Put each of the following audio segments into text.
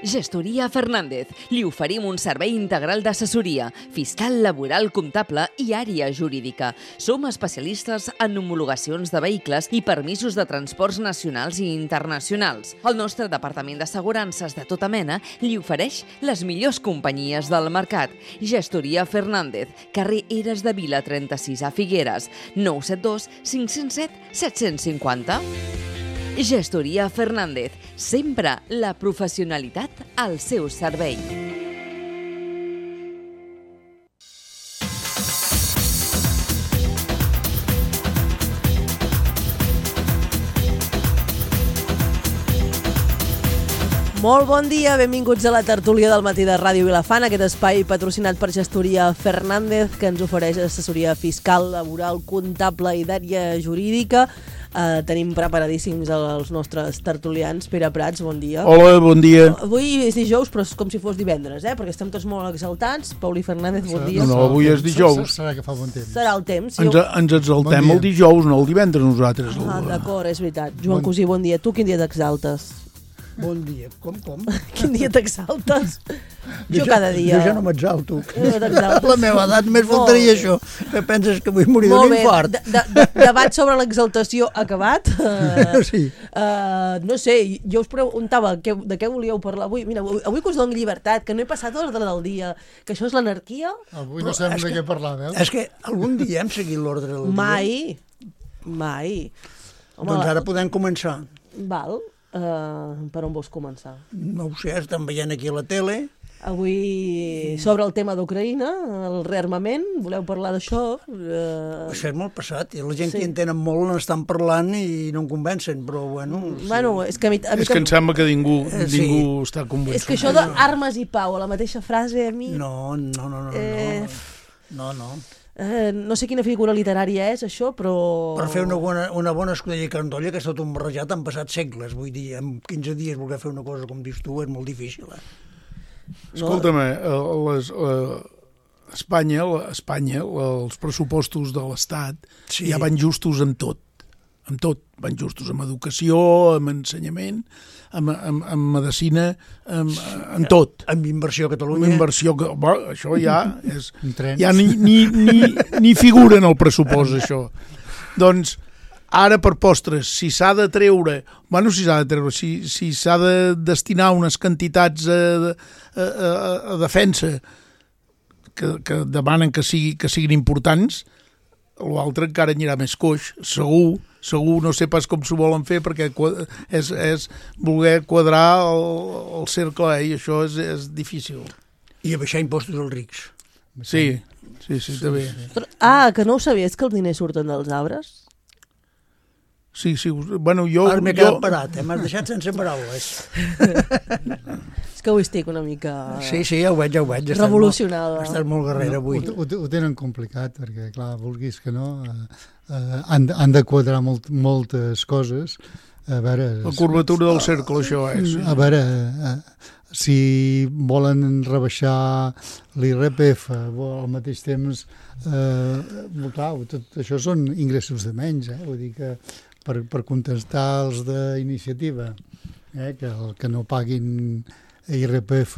Gestoria Fernández. Li oferim un servei integral d'assessoria, fiscal, laboral, comptable i àrea jurídica. Som especialistes en homologacions de vehicles i permisos de transports nacionals i internacionals. El nostre departament d'assegurances de tota mena li ofereix les millors companyies del mercat. Gestoria Fernández, carrer Eres de Vila 36 a Figueres, 972 507 750. Gestoria Fernández, sempre la professionalitat al seu servei. Molt bon dia, benvinguts a la tertúlia del matí de Ràdio Vilafant, aquest espai patrocinat per Gestoria Fernández, que ens ofereix assessoria fiscal, laboral, comptable i d'àrea jurídica. Tenim preparadíssims els nostres tertulians. Pere Prats, bon dia. Hola, bon dia. Avui és dijous, però és com si fos divendres, perquè estem tots molt exaltats. Pauli Fernández, bon dia. No, avui és dijous. Serà que fa bon temps. Serà el temps. Ens exaltem el dijous, no el divendres, nosaltres. D'acord, és veritat. Joan Cosí, bon dia. Tu quin dia t'exaltes? Bon dia. Com? Quin dia t'exaltes? Jo cada dia. Jo ja no m'exalto. A la meva edat més faltaria això. Que penses que vull morir d'un infart? Debat sobre l'exaltació acabat. Sí. No sé, jo us preguntava de què volíeu parlar avui. Mira, avui que us dono llibertat, que no he passat l'ordre del dia, que això és l'anarquia. Avui no sabem de què parlar, veus? És que algun dia hem seguit l'ordre del dia. Mai. Doncs ara podem començar. Val. Per on vols començar? No ho sé, estem veient aquí a la tele. Avui sobre el tema d'Ucraïna, el rearmament, voleu parlar d'això? Això és molt passat, i la gent que hi entenen molt n'estan parlant i no en convencen, però bueno... És que és que em sembla que ningú està convençut. És que això d'armes i pau, a la mateixa frase, a mi... No. No sé quina figura literària és això, però... Per fer una bona escudella carandolla, que és tot un barrejat, han passat segles. Vull dir, en 15 dies voler fer una cosa com dius tu és molt difícil. Escolta'm, Espanya, els pressupostos de l'Estat ja van justos amb tot. Amb tot. Van justos amb educació, amb ensenyament, amb medicina, amb tot. Amb inversió a Catalunya. Amb inversió, això ja és... Ja ni figura en el pressupost, això. Doncs, ara per postres, si s'ha de treure... Si s'ha de destinar unes quantitats a defensa que demanen que siguin importants, l'altre encara anirà més coix, segur, no sé pas com s'ho volen fer, perquè és voler quadrar el cercle, i això és difícil. I abaixar impostos als rics. Sí, també. Que no ho sabies, que els diners surten dels arbres? Sí, bueno, jo... Ara m'he quedat parat, m'has deixat sense paraules. És que avui estic una mica... Sí, ja ho veig. Revolucionada. Estàs molt guerrera avui. Ho tenen complicat, perquè, clar, vulguis que no, han de quadrar moltes coses. A veure... La curvatura del cercle, això és. A veure, si volen rebaixar l'IRPF al mateix temps, clar, tot això són ingressos de menys, vull dir que per contestar els d'iniciativa, que no paguin IRPF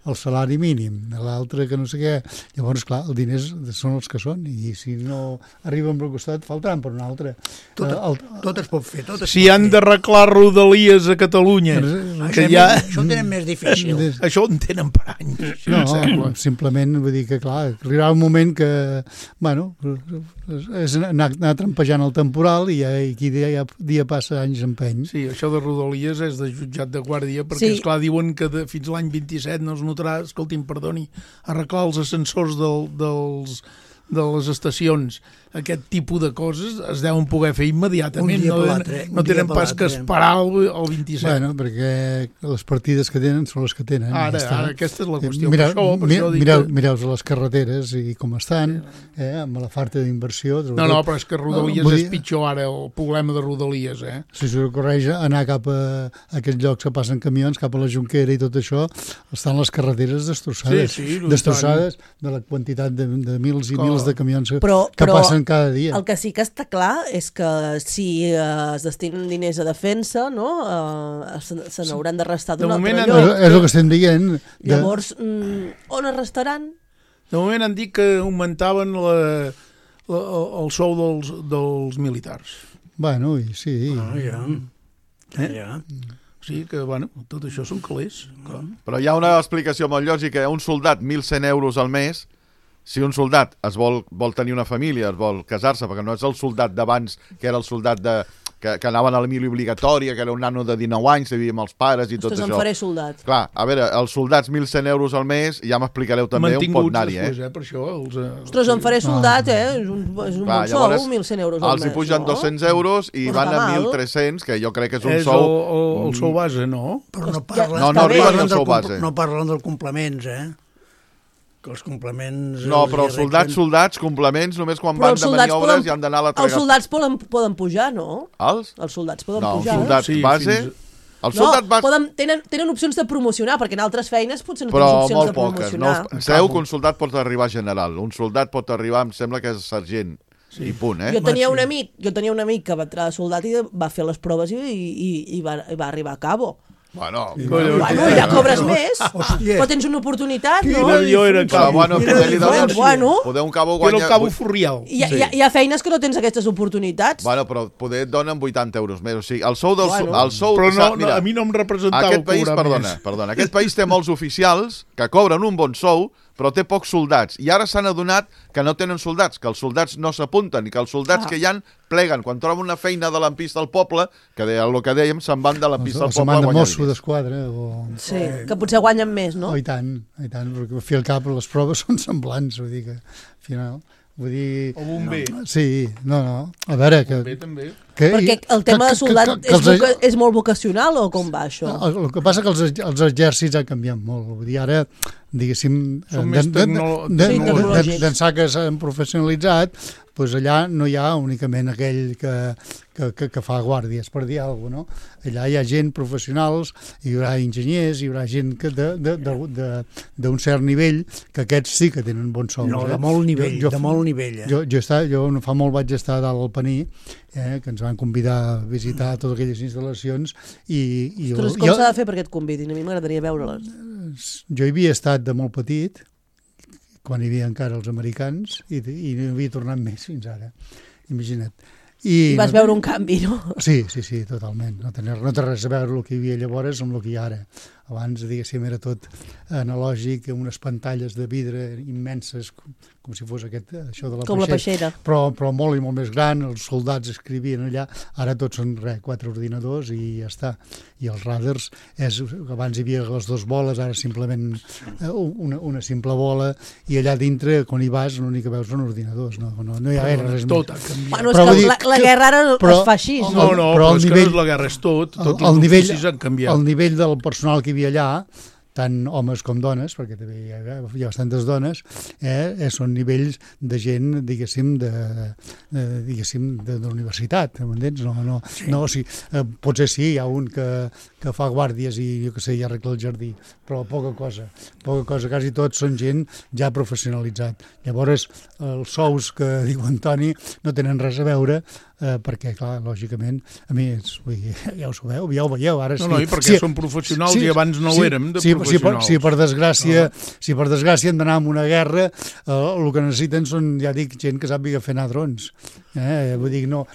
el salari mínim, l'altre que no sé què. Llavors, clar, els diners són els que són, i si no arriben per un costat, faltaran per un altre. Tot es pot fer. Si han d'arreglar rodalies a Catalunya, això ho tenen més difícil. Això ho en tenen per anys. No, simplement vull dir que, clar, arribarà un moment que, bueno, és anar trampejant el temporal i aquí dia passa anys empeny. Sí, això de rodalies és de jutjat de guàrdia, perquè, esclar, diuen que fins l'any 27 no es notarà, escolti'm, perdoni, arreglar els ascensors de les estacions. Aquest tipus de coses es deuen poder fer immediatament, no tenen pas que esperar el 27. Bueno, perquè les partides que tenen són les que tenen. Ara aquesta és la qüestió. Mireu les carreteres i com estan, amb la falta d'inversió. No, però és que Rodalies és pitjor ara, el problema de Rodalies. Si s'ho correix, anar cap a aquests llocs que passen camions, cap a la Jonquera i tot això, estan les carreteres destrossades. Destrossades de la quantitat de mils i mils de camions que passen cada dia. El que sí que està clar és que si es destinen diners a defensa, no? Se n'hauran de restar d'un altre lloc. És el que estem dient. Llavors, on es restaran? De moment han dit que augmentaven el sou dels militars. Bueno, sí. Ja. O sigui que, bueno, tot això són calés. Clar. Però hi ha una explicació molt lògica. Un soldat, 1.100 euros al mes, si un soldat vol tenir una família, es vol casar-se, perquè no és el soldat d'abans, que era el soldat que anaven a la mili obligatòria, que era un nano de 19 anys, que vivia amb els pares i tot això. Ostres, em faré soldat. Clar, a veure, els soldats 1.100 euros al mes, ja m'explicareu també on pot anar-hi, per això, ostres, em faré soldat, és un bon sou, 1.100 euros al mes. Els hi pugen 200 euros i van a 1.300, que jo crec que és un sou... És el sou base, no? Però no arriben al sou base. No parlen dels complements, que els complements... No, però els soldats, complements, només quan van de maniobres i han d'anar a la Els soldats poden pujar, no? Els? Els soldats poden pujar. No, els soldats base... Tenen opcions de promocionar, perquè en altres feines potser no tens opcions de promocionar. Però molt poques. Sabeu que un soldat pot arribar a general, un soldat pot arribar, em sembla que és sergent, i punt, Jo tenia un amic que va entrar de soldat i va fer les proves i va arribar a cabo. Bueno, ja cobres més, però tens una oportunitat, no? Poder un cabo guanya... Era el cabo Furrial. Hi ha feines que no tens aquestes oportunitats. Bueno, però poder et donen 80 euros més. O sigui, el sou del... Però a mi no em representava aquest país, perdona, aquest país té molts oficials que cobren un bon sou, però té pocs soldats. I ara s'han adonat que no tenen soldats, que els soldats no s'apunten i que els soldats que hi han pleguen. Quan troben una feina de l'ampista al poble, que el que dèiem, se'n van de l'ampista al poble a guanyar diners. Mosso d'esquadra. Sí, que potser guanyen més, no? I tant, perquè al fi al cap les proves són semblants, vull dir que al final... Vull dir... O bomber. Sí, no. A veure... Bomber també. Perquè el tema de soldat és molt vocacional o com va això? El que passa que els exèrcits han canviat molt. Vull dir, ara, diguéssim, d'ençà que s'han professionalitzat, doncs allà no hi ha únicament aquell que fa guàrdies, per dir alguna cosa, no? Allà hi ha gent professionals, hi haurà enginyers, hi haurà gent d'un cert nivell, que aquests sí que tenen bons sous. No, de molt nivell, Jo fa molt vaig estar dalt al Paní, que ens van convidar a visitar totes aquelles instal·lacions i ostres, com s'ha de fer perquè et convidin? A mi m'agradaria veure-les. Jo hi havia estat de molt petit, quan hi havia encara els americans, i no havia tornat més fins ara. Imagina't. I vas veure un canvi, no? Sí, totalment. No té res a veure el que hi havia llavors amb el que hi ha ara. Abans, diguéssim, era tot analògic, unes pantalles de vidre immenses, com si fos això de la peixera. Però molt i molt més gran, els soldats escrivien allà, ara tots són 4 ordinadors i ja està. I els radars, abans hi havia les 2 boles, ara simplement una simple bola, i allà dintre, quan hi vas, l'únic que veus són ordinadors, no hi ha res més. Tot ha canviat. Bueno, és que la guerra ara es fa així. No, però és que no és la guerra, és tot. Tots els oficis han canviat. El nivell del personal que hi havia allà, tant homes com dones, perquè també hi ha bastantes dones, són nivells de gent, diguéssim, de l'universitat, m'entens? No, potser sí, hi ha un que fa guàrdies i, jo què sé, ja arregla el jardí, però poca cosa, quasi tots són gent ja professionalitzat. Llavors, els sous que diu Antoni no tenen res a veure, perquè, clar, lògicament, a més, ja ho sabeu, ja ho veieu, ara sí. No, i perquè són professionals i abans no ho érem de professionals. Si per desgràcia hem d'anar a una guerra, el que necessiten són, ja dic, gent que sàpiga fer anar drons. Vull dir, o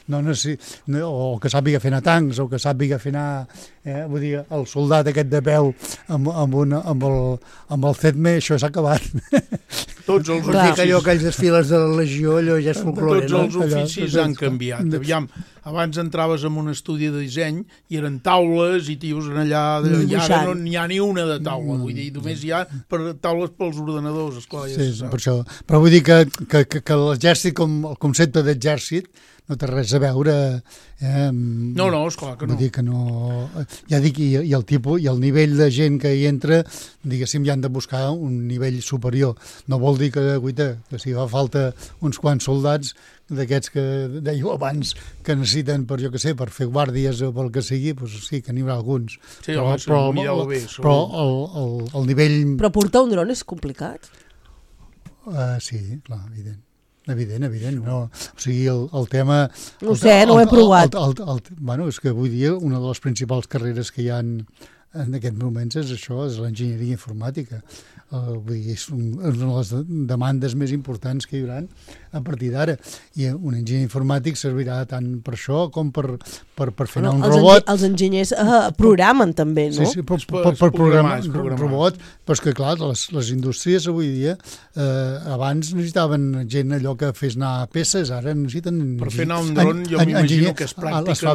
que sàpiga fer anar tancs, o que sàpiga fer anar... Vull dir, el soldat aquest de peu amb el CETME, això s'ha acabat. Tots els oficis... Aquells desfiles de la Legió, allò ja és folclore. Tots els oficis han canviat. Aviam, abans entraves en un estudi de disseny i eren taules i tios allà, i ara no n'hi ha ni una de taula, vull dir, només hi ha taules pels ordenadors, esclar, ja se sap. Per això. Però vull dir que l'exèrcit, com el concepte d'exèrcit, no té res a veure... No, esclar que no. Vull dir que no... Ja dic, i el tipus, i el nivell de gent que hi entra, diguéssim, ja han de buscar un nivell superior. No vol dir que si fa falta uns quants soldats d'aquests que dèieu abans que necessiten per fer guàrdies o pel que sigui, doncs sí, que n'hi haurà alguns. Sí, però el nivell... Però portar un dron és complicat? Sí, clar, evident. Evident, no. O sigui, el tema... No sé, no ho he provat. Bueno, és que avui dia una de les principals carreres que hi ha en aquests moments és això, és l'enginyeria informàtica. Vull dir, és una de les demandes més importants que hi haurà a partir d'ara. I un enginyer informàtic servirà tant per això com per fer anar un robot. Els enginyers programen també, no? Sí, per programar robot, però és que clar, les indústries avui dia abans necessitaven gent allò que fes anar peces, ara necessiten... Per fer anar un dron jo m'imagino que és pràctica.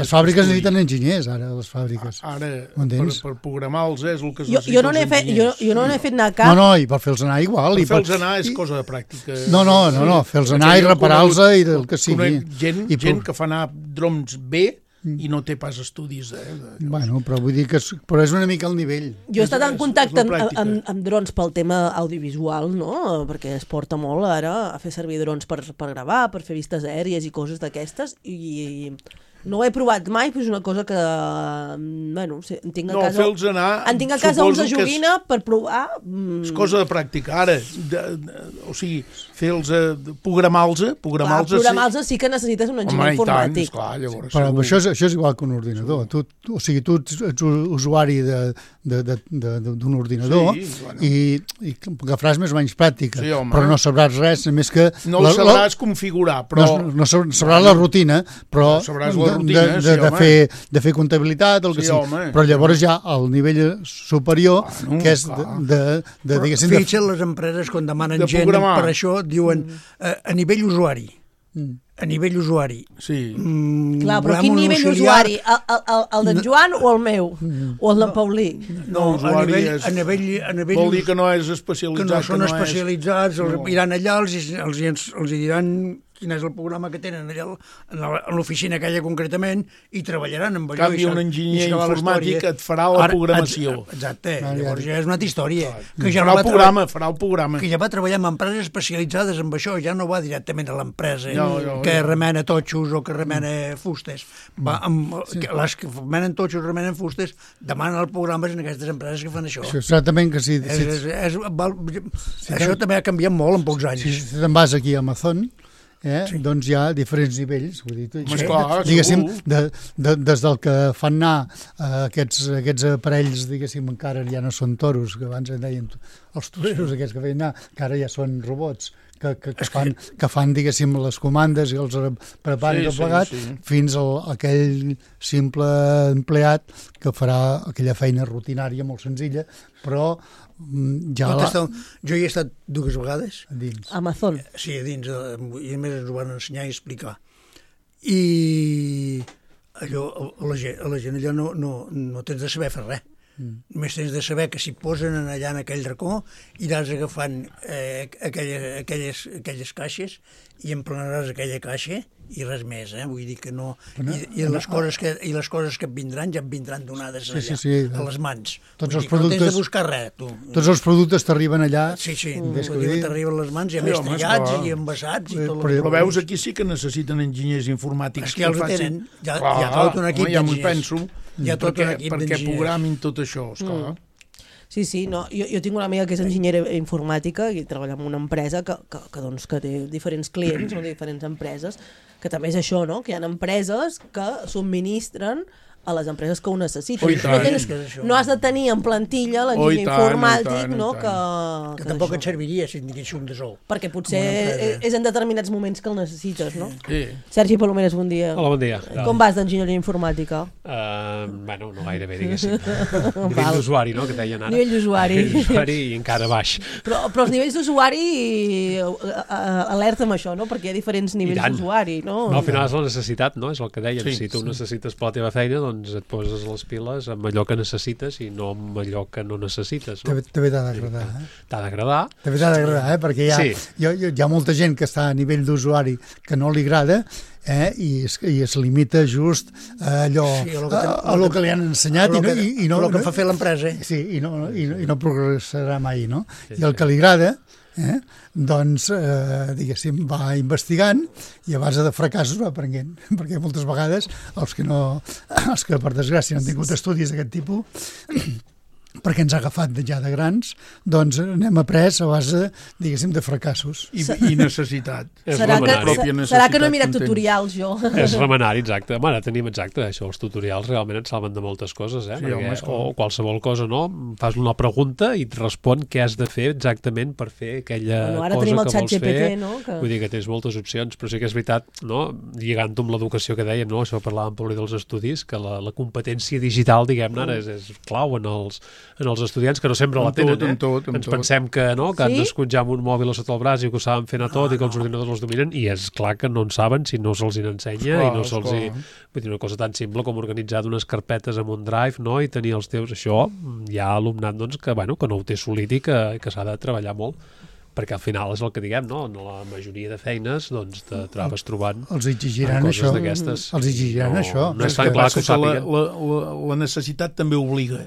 Les fàbriques necessiten enginyers, ara, les fàbriques. Ara, per programar-los és el que es necessita jo no n'he fet anar cap. No, i per fer-los anar igual. Per fer-los anar és cosa de pràctica. No, fer-los anar i reparar-los i el que sigui. Gent que fa anar drons bé i no té pas estudis. Bueno, però vull dir que és una mica al nivell. Jo he estat en contacte amb drons pel tema audiovisual, no? Perquè es porta molt ara a fer servir drons per gravar, per fer vistes aèries i coses d'aquestes, i no ho he provat mai, però és una cosa que, bueno, en tinc a casa... fer-los anar... En tinc a casa uns de joguina per provar... És cosa de pràctica. Ara, o sigui, fer-los... Programar-los sí que necessites un enginyer informàtic. Clar, llavors... Però això és igual que un ordinador. O sigui, tu ets usuari d'un ordinador i agafaràs més o menys pràctica, però no sabràs res, més que... No el sabràs configurar, però... No sabràs la rutina, però... de fer comptabilitat, el que sigui. Però llavors ja al nivell superior, que és diguéssim... Fixa't les empreses quan demanen gent per això, diuen a nivell usuari. A nivell usuari. Sí. Clar, però quin nivell usuari? El d'en Joan o el meu? O el d'en Paulí? No, usuari vol dir que no és especialitzat. Que no són especialitzats, iran allà, els diran quin és el programa que tenen allà a l'oficina aquella concretament i treballaran amb allò. En canvi, un enginyer informàtic et farà la programació. Exacte, llavors ja és una altra història. Farà el programa. Que ja va treballar amb empreses especialitzades en això, ja no va directament a l'empresa que remena totxos o que remena fustes. Les que remenen totxos o remenen fustes demanen els programes en aquestes empreses que fan això. Exactament que sí. Això també ha canviat molt en pocs anys. Si te'n vas aquí a Amazon, doncs hi ha diferents nivells, vull dir, diguéssim, des del que fan anar aquests aparells, diguéssim, encara ja no són toros, que abans en deien els toreros aquests que feien anar, que ara ja són robots, que fan, diguéssim, les comandes i els preparen tot plegat, fins a aquell simple empleat que farà aquella feina rutinària molt senzilla, però ja... Jo hi he estat 2 vegades. A dins. Amazon. Sí, a dins, i a més ens ho van ensenyar i explicar. I allò, a la gent allò no tens de saber fer res. Només tens de saber que si posen allà en aquell racó iràs agafant aquelles caixes i emplenaràs aquella caixa i res més, vull dir que no... I les coses que et vindran ja et vindran donades allà, a les mans. No tens de buscar res, tu. Tots els productes t'arriben allà... Sí, t'arriben a les mans, ja més tallats i envasats i tot. Però veus, aquí sí que necessiten enginyers informàtics. És que ja els tenen, hi ha tot un equip d'enginyers. Ja m'ho penso. Perquè programin tot això, esclar. Sí, no, jo tinc una amiga que és enginyera informàtica i treballa en una empresa que té diferents clients, no, diferents empreses, que també és això, no? Que hi ha empreses que subministren a les empreses que ho necessiten. No has de tenir en plantilla l'enginyer informàtic, no? Que tampoc et serviria si en digués un de sou. Perquè potser és en determinats moments que el necessites, no? Sí. Sergi Palomeres, bon dia. Hola, bon dia. Com vas d'enginyeria informàtica? Bueno, no gaire bé, diguéssim. Nivell d'usuari, no?, que deien ara. Nivell d'usuari. Nivell d'usuari i encara baix. Però els nivells d'usuari, alerta amb això, no? Perquè hi ha diferents nivells d'usuari, no? No, al final és la necessitat, no? És el que deien. Si tu necessites per la teva feina, doncs et poses les piles amb allò que necessites i no amb allò que no necessites. No? També t'ha d'agradar. T'ha d'agradar. També t'ha d'agradar, perquè hi ha molta gent que està a nivell d'usuari que no li agrada i es limita just a allò que li han ensenyat i no el que fa fer l'empresa. Sí, i no progressarà mai, no? I el que li agrada doncs, diguéssim, va investigant i a base de fracassos va aprenent, perquè moltes vegades els que per desgràcia no han tingut estudis d'aquest tipus perquè ens ha agafat ja de grans, doncs n'hem après a base, diguéssim, de fracassos. I necessitat. Serà que no he mirat tutorials, jo. És remenari, exacte. Home, ara tenim exacte això, els tutorials realment et salven de moltes coses, Sí, home, o qualsevol cosa, no? Fas una pregunta i et respon què has de fer exactament per fer aquella ara cosa tenim el que xat vols fer. GPT, no? Vull dir que tens moltes opcions, però sí que és veritat, no? Lligant-ho amb l'educació que dèiem, no? Això parlàvem per dels estudis, que la competència digital, diguem-ne, ara és clau en els estudiants, que no sempre la tenen, Ens pensem que han nascut ja amb un mòbil a sota el braç i que ho saben fent a tot i que els ordinadors els dominen, i és clar que no en saben si no se'ls n'ensenya i no se'ls hi... Vull dir, una cosa tan simple com organitzar unes carpetes amb un drive, no?, i tenir els teus... Això hi ha alumnat, doncs, que no ho té assolit i que s'ha de treballar molt, perquè al final és el que diguem, no? En la majoria de feines, doncs, te trobes trobant els exigiran això. Els exigiran això. No és tan clar que ho sàpiguen. La necessitat també obliga.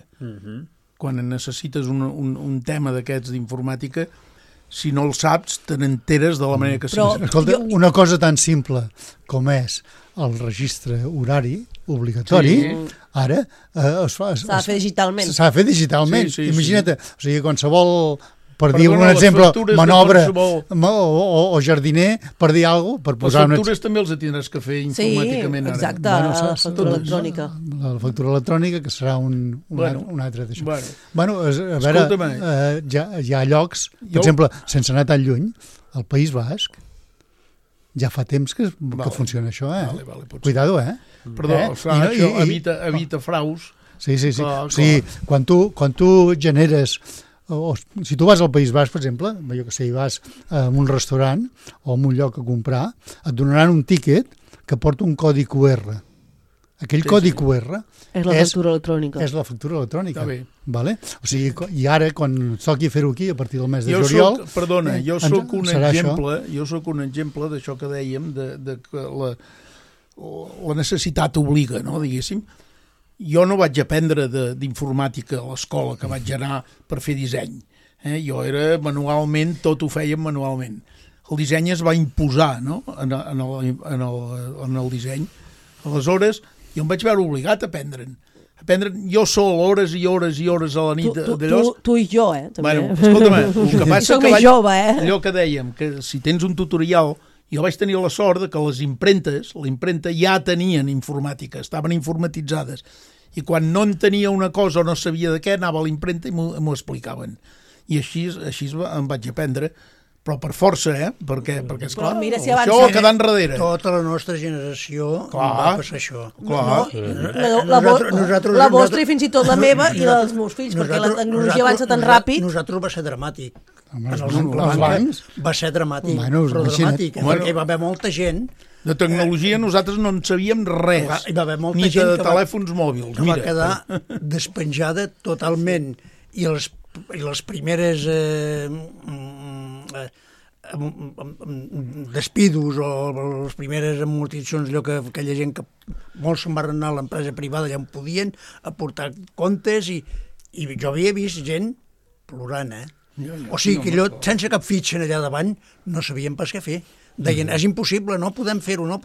Quan necessites un tema d'aquests d'informàtica, si no el saps, te n'enteres de la manera que sigui. Escolta, una cosa tan simple com és el registre horari obligatori, ara s'ha de fer digitalment. S'ha de fer digitalment. Imagina't, o sigui, qualsevol... Per dir un exemple, manobre o jardiner, per dir alguna cosa... Les factures també els tindràs que fer informàticament ara. Sí, exacte, la factura electrònica. La factura electrònica, que serà un altre d'això. Bueno, a veure, hi ha llocs, per exemple, sense anar tan lluny, al País Basc, ja fa temps que funciona això, Cuidado, Perdó, evita fraus. Sí. O sigui, quan tu generes... si tu vas al País Basc, per exemple, jo que sé, vas a un restaurant o a un lloc a comprar, et donaran un tíquet que porta un codi QR. Aquell codi QR és la factura electrònica. És la factura electrònica. Vale? O sigui, i ara, quan toqui fer-ho aquí, a partir del mes de juliol... Perdona, jo soc un exemple d'això que dèiem, de que la necessitat obliga, no, diguéssim. Jo no vaig aprendre d'informàtica a l'escola, que vaig anar per fer disseny. Jo era manualment, tot ho fèiem manualment. El disseny es va imposar, no?, en el disseny. Aleshores, jo em vaig veure obligat a aprendre'n. Jo sol, hores i hores i hores a la nit d'allò... Tu i jo, també. Bueno, escolta'm, el que passa que jove, allò que dèiem, que si tens un tutorial... Jo vaig tenir la sort de que les impremta ja tenien informàtica, estaven informatitzades. I quan no en tenia una cosa o no sabia de què, anava a l'impremta i m'ho explicaven. I així em vaig aprendre, però per força, perquè esclar, això va quedar enrere. Tota la nostra generació va passar això. La vostra i fins i tot la meva i la dels meus fills, perquè la tecnologia avança tan ràpid. Nosaltres va ser dramàtic. Va ser dramàtic, però dramàtic, perquè hi va haver molta gent. De tecnologia nosaltres no en sabíem res, ni de telèfons mòbils. Que va quedar despenjada totalment, i les primeres despidos o les primeres amortitzacions, allò que aquella gent que molts se'n van anar a l'empresa privada ja en podien aportar comptes, i jo havia vist gent plorant, o sigui que allò, sense cap fitxa allà davant, no sabien pas què fer. Deien, és impossible, no podem fer-ho, no?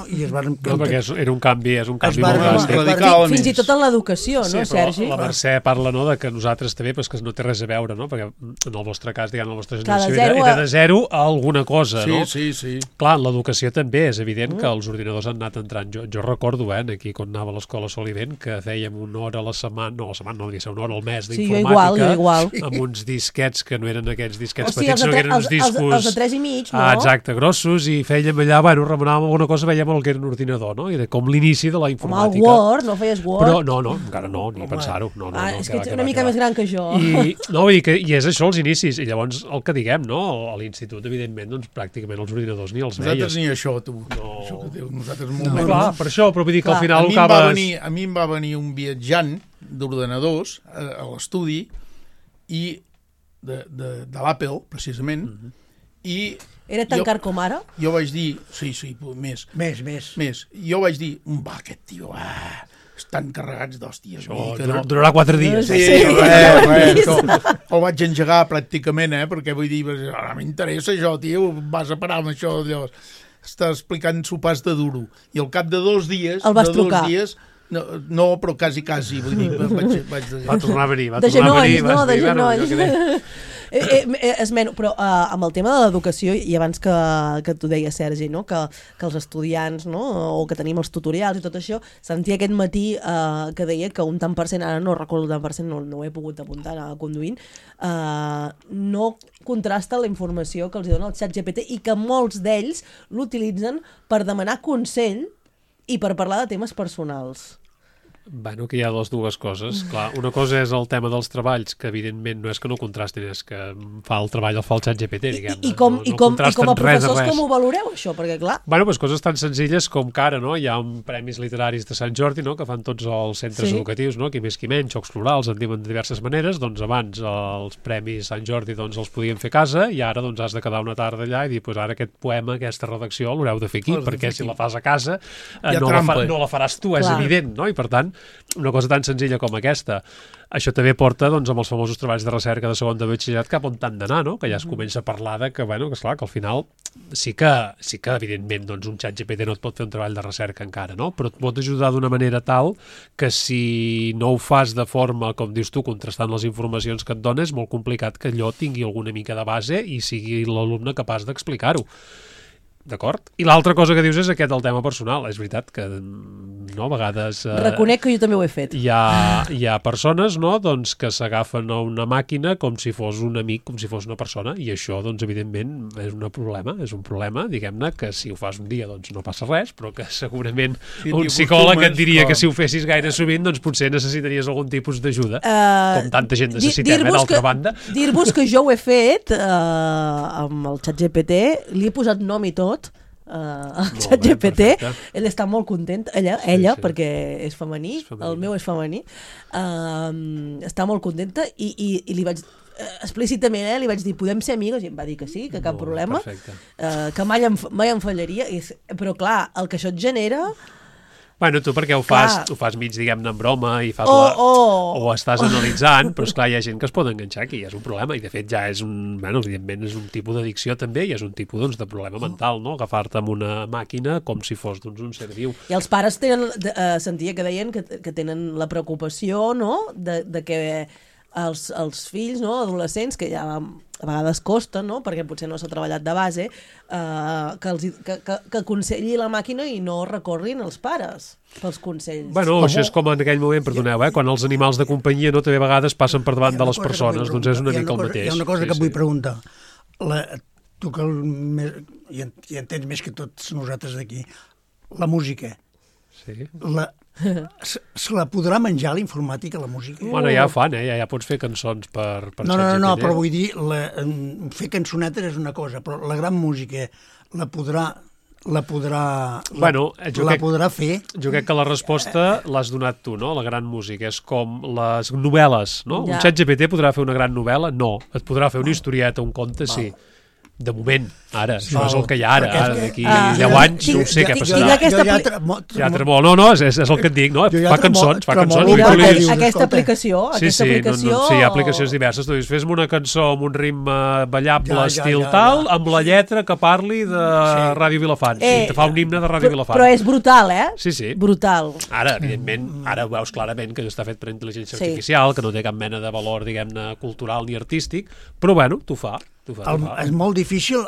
I es van... No, perquè era un canvi molt radical. Fins i tot en l'educació, no, Sergi? La Mercè parla, no, de que nosaltres també, però que no té res a veure, no? Perquè en el vostre cas, diguem, la vostra generació era de zero a alguna cosa, no? Sí. Clar, en l'educació també és evident que els ordinadors han anat entrant. Jo recordo, aquí, quan anava a l'escola Solivent, que fèiem una hora a la setmana, no, devia ser una hora al mes d'informàtica, amb uns disquets que no eren aquests disquets petits, sinó que eren uns discos... Els de 3,5, no? Exacte, grossos, i fèiem allà, remenàvem alguna cosa, veiem el que era un ordinador, no? Era com l'inici de la informàtica. Home, el Word, no feies Word? Però no, encara no, ni pensar-ho. És que ets una mica més gran que jo. I és això, els inicis. I llavors, el que diguem, no? A l'institut, evidentment, doncs pràcticament els ordinadors ni els veies. Nosaltres ni això, tu. Això que dius, nosaltres molt menys. Clar, per això, però vull dir que al final acabes... A mi em va venir un viatjant d'ordenadors a l'estudi i de l'Apple, precisament, i... Era tan car com ara? Jo vaig dir... Sí, més. Més. Jo vaig dir, aquest tio, estan carregats d'hòsties. Durarà 4 dies. Sí, el vaig engegar pràcticament, perquè vull dir, ara m'interessa això, tio, vas a parar amb això, llavors. Està explicant sopars de duro. I al cap de 2 dies... El vas trucar. No, però quasi, vull dir, vaig Va tornar a venir, de genolls. Esmeno, però amb el tema de l'educació, i abans que t'ho deia Sergi, no? que els estudiants, no? O que tenim els tutorials i tot això, sentia aquest matí que deia que un tant per cent, ara no recordo el tant per cent, no ho he pogut apuntar conduint, no contrasta la informació que els dona el ChatGPT i que molts d'ells l'utilitzen per demanar consell i per parlar de temes personals. Bueno, que hi ha les dues coses. Clar, una cosa és el tema dels treballs, que evidentment no és que no contrastin, és que fa el treball el fa el ChatGPT, diguem-ne. I com a professors com ho valoreu, això? Perquè, clar... Bueno, doncs coses tan senzilles com que ara, no? Hi ha premis literaris de Sant Jordi, no? Que fan tots els centres educatius, no? Qui més qui menys, jocs florals, en diuen de diverses maneres. Doncs abans els premis Sant Jordi doncs, els podien fer a casa i ara doncs, has de quedar una tarda allà i dir, pues, ara aquest poema, aquesta redacció l'haureu de fer aquí, perquè si la fas a casa no la faràs tu, és evident, no? I per tant, una cosa tan senzilla com aquesta. Això també porta doncs, amb els famosos treballs de recerca de segon de batxillerat cap on t'han d'anar, no? Que ja es comença a parlar de que, bueno, que esclar, que al final sí que evidentment, doncs, un ChatGPT no et pot fer un treball de recerca encara, no? Però et pot ajudar d'una manera tal que si no ho fas de forma, com dius tu, contrastant les informacions que et dona, és molt complicat que allò tingui alguna mica de base i sigui l'alumne capaç d'explicar-ho. D'acord? I l'altra cosa que dius és aquest, el tema personal. És veritat que, no, a vegades... Reconec que jo també ho he fet. Hi ha persones, no?, doncs, que s'agafen a una màquina com si fos un amic, com si fos una persona, i això, doncs, evidentment, és un problema, diguem-ne, que si ho fas un dia, doncs, no passa res, però que segurament un psicòleg et diria que si ho fessis gaire sovint, doncs, potser necessitaries algun tipus d'ajuda, com tanta gent necessitem, d'altra banda. Dir-vos que jo ho he fet amb el ChatGPT, li he posat nom i tot, el ChatGPT, ell està molt content, ella perquè és femení, el meu és femení, està molt contenta i li vaig explícitament li vaig dir, podem ser amigues? I em va dir que sí, que cap problema, que mai em fallaria, però clar, el que això et genera... Bueno, tu perquè ho fas mig, diguem-ne, en broma i fas o estàs analitzant, però esclar, hi ha gent que es pot enganxar aquí, és un problema, i de fet ja és evidentment és un tipus d'addicció també, i és un tipus doncs, de problema mental, no? Agafar-te amb una màquina com si fos doncs, un ser viu. I els pares sentia que deien que tenen la preocupació, no?, de que els fills, no?, adolescents, que ja a vegades costa, no?, perquè potser no s'ha treballat de base, que aconselli la màquina i no recorrin els pares pels consells. Bueno, això és com en aquell moment, perdoneu, quan els animals de companyia no també a vegades passen per davant de les persones, doncs és una mica el mateix. Hi ha una cosa que vull preguntar. Tu que hi entens més que tots nosaltres d'aquí, la música. Sí. Se la podrà menjar la informàtica, la música? Bueno, ja ho fan, ja pots fer cançons per No, però vull dir, fer cançonetes és una cosa, però la gran música la podrà fer? Jo crec que la resposta l'has donat tu, no? La gran música és com les novel·les, no? Un ChatGPT podrà fer una gran novel·la? No. Et podrà fer una historieta, un conte? Sí. De moment, ara, això és el que hi ha ara d'aquí 10 anys, no sé què passarà. No, és el que et dic, no? Fa cançons. Aquesta aplicació... Sí, hi ha aplicacions diverses. Tu dius, fes-me una cançó amb un ritme ballable estil tal, amb la lletra que parli de Ràdio Vilafant. I te fa un himne de Ràdio Vilafant. Però és brutal, Sí. Brutal. Ara, evidentment, ara ho veus clarament que està fet per intel·ligència artificial, que no té cap mena de valor, diguem-ne, cultural ni artístic, però bueno, t'ho fa. És molt difícil,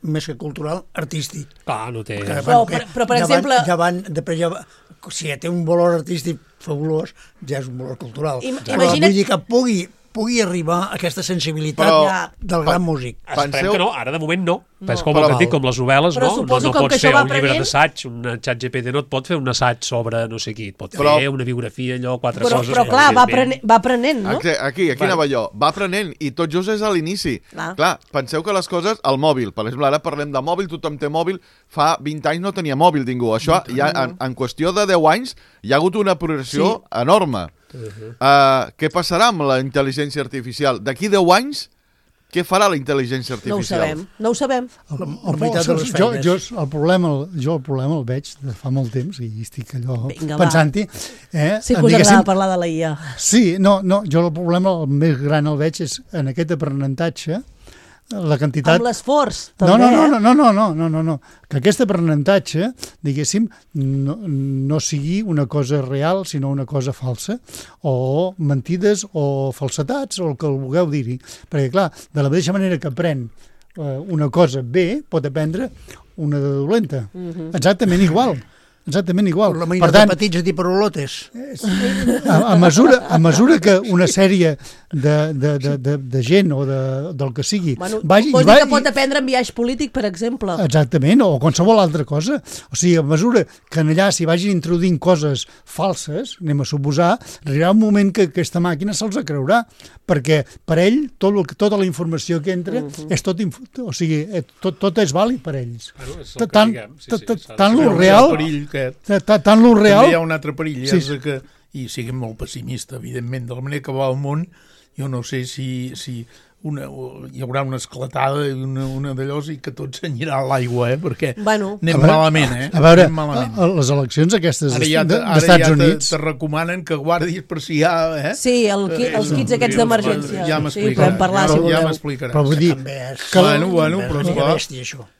més que cultural, artístic. Clar, no té... Però per exemple... Si ja té un valor artístic fabulós, ja és un valor cultural. Imagina't... Vull dir que pugui arribar a aquesta sensibilitat del gran músic. Esperem que no, ara de moment no. És com el que dic, com les novel·les, no? No pots fer un llibre d'assaig, un ChatGPT no et pot fer un assaig sobre no sé qui, et pot fer una biografia, allò, quatre coses... Però clar, va aprenent, no? Aquí anava jo, va aprenent, i tot just és a l'inici. Clar, penseu que les coses, el mòbil, per exemple, ara parlem de mòbil, tothom té mòbil, fa 20 anys no tenia mòbil ningú. Això, ja en qüestió de 10 anys, hi ha hagut una progressió enorme. Què passarà amb la intel·ligència artificial? D'aquí 10 anys, què farà la intel·ligència artificial? No ho sabem. El problema el veig de fa molt temps i estic allò pensant-hi. Sí que us agrada parlar de la IA. Sí, no, jo el problema el més gran el veig és en aquest aprenentatge la quantitat... Amb l'esforç, també, No. Que aquest aprenentatge, diguéssim, no sigui una cosa real, sinó una cosa falsa, o mentides, o falsetats, o el que vulgueu dir-hi. Perquè, clar, de la mateixa manera que aprèn una cosa bé, pot aprendre una de dolenta. Exactament igual. La manera de petits a dir parolotes. A mesura que una sèrie de gent o del que sigui... Vols dir que pot aprendre en viatge polític, per exemple? Exactament, o qualsevol altra cosa. O sigui, a mesura que allà s'hi vagin introduint coses falses, anem a suposar, arribarà un moment que aquesta màquina se'ls creurà, perquè per ell tota la informació que entra és tot és vàlid per ells. Tant lo real... Tant lo real... També hi ha un altre perill, i siguem molt pessimista, evidentment, de la manera que va el món, jo no sé si hi haurà una esclatada i una d'allòs i que tot s'anirà a l'aigua, perquè anem malament, A veure, les eleccions aquestes d'Estats Units... Te recomanen que guardis per si hi ha... Sí, els kits aquests d'emergència. Ja m'explicarà. Ja m'explicaràs. Però vull dir...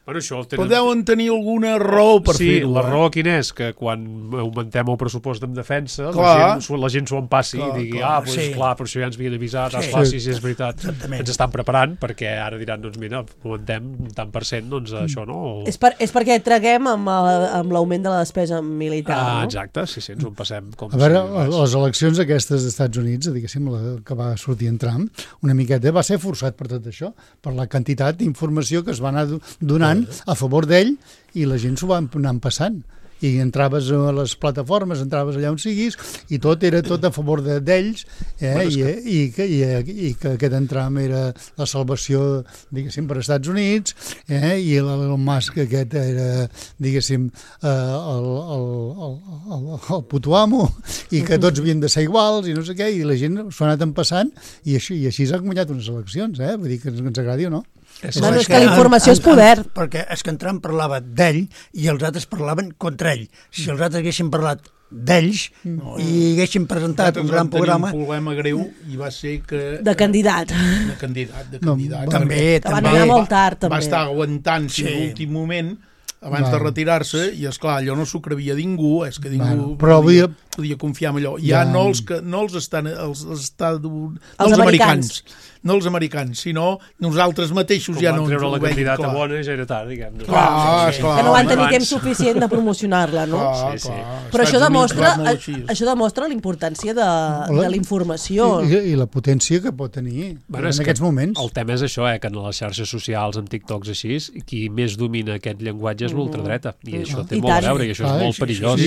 Però això... Però deuen tenir alguna raó per fer-ho. Sí, la raó quina és? Que quan augmentem el pressupost en defensa, la gent s'ho empassi i digui, clar, per això ja ens havien avisat, sí, és veritat. Ens estan preparant, perquè ara diran, doncs mira, augmentem tant per cent, doncs això, no? És perquè traguem amb l'augment de la despesa militar, no? Exacte, sí, ens ho passem com... A veure, les eleccions aquestes dels Estats Units, diguéssim, que va sortir en Trump, una miqueta va ser forçat per tot això, per la quantitat d'informació que es va anar donant a favor d'ell, i la gent s'ho va anar passant. I entraves a les plataformes, entraves allà on siguis, i tot era tot a favor d'ells, i que aquest Trump era la salvació, diguéssim, per als Estats Units, i el Musk aquest era, diguéssim, el puto amo, i que tots havien de ser iguals, i no sé què, i la gent s'ho ha anat empassant, i així s'han guanyat unes eleccions, vull dir que ens agradi o no. És que la informació és poder. Perquè és que en Trump parlava d'ell i els altres parlaven contra ell. Si els altres haguessin parlat d'ells i haguessin presentat un gran programa... Un problema greu i va ser que... De candidat. També. Que van anar molt tard, també. Va estar aguantant fins l'últim moment abans de retirar-se, i esclar, allò no s'ho crevia ningú, és que ningú podia confiar en allò. Ja no els americans, no els americans, sinó nosaltres mateixos ja no ens ho veiem clar. Com van treure la candidata bona, ja era tard, diguem. Que no van tenir temps suficient de promocionar-la, no? Sí. Però això demostra la importància de la informació. I la potència que pot tenir en aquests moments. El tema és això, que en les xarxes socials, en TikToks així, qui més domina aquest llenguatge és l'ultradreta, i això té molt a veure, i això és molt perillós.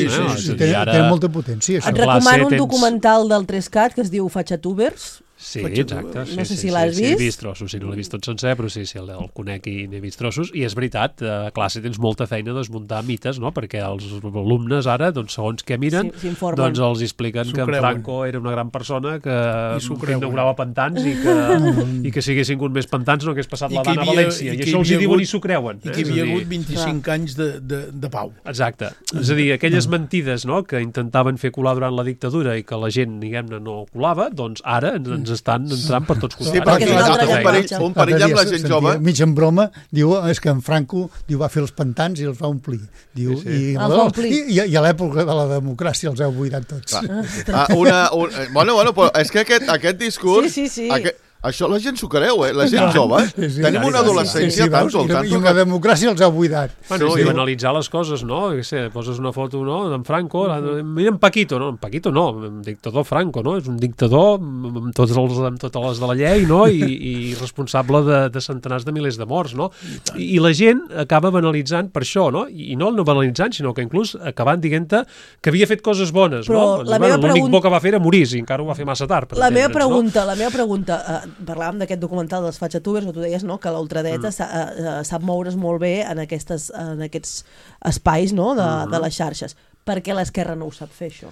Té molta potència. Et recomano un documental del 3CAT que es diu Fatxatubers. Sí, exacte. No sé si l'has vist. He vist trossos, no l'he vist tot sencer, però sí, el conec i n'he vist trossos. I és veritat, a classe tens molta feina de desmuntar mites, no? Perquè els alumnes ara, doncs, segons què miren, doncs els expliquen que en Franco era una gran persona, que inaugurava pantans i que si haguessin hagut més pantans no hagués passat la Dana a València. I això els hi diuen i s'ho creuen. I que hi havia hagut 25 anys de pau. Exacte. És a dir, aquelles mentides que intentaven fer colar durant la dictadura i que la gent, diguem-ne, no colava, doncs ara ens estan entrant per tots costats. Sí, perquè un perill amb la gent jove. Mig en broma, diu, és que en Franco va fer els pantans i els va omplir. I a l'època de la democràcia els heu buidat tots. Bueno, però és que aquest discurs... Això la gent s'ho creu, la gent jove. Tenim una adolescència tan soltant. I una democràcia els ha buidat. I analitzar les coses, no? Poses una foto d'en Franco, mira en Paquito, no? En Paquito no, en dictador Franco, no? És un dictador amb totes les de la llei, no? I responsable de centenars de milers de morts, no? I la gent acaba banalitzant per això, no? I no banalitzant, sinó que inclús acabant dient-te que havia fet coses bones, no? L'únic bo que va fer era morir, i encara ho va fer massa tard. La meva pregunta, parlàvem d'aquest documental dels Fatxatubers, on tu deies que la ultradreta sap moure's molt bé en aquests espais de les xarxes. Per què l'esquerra no ho sap fer, això?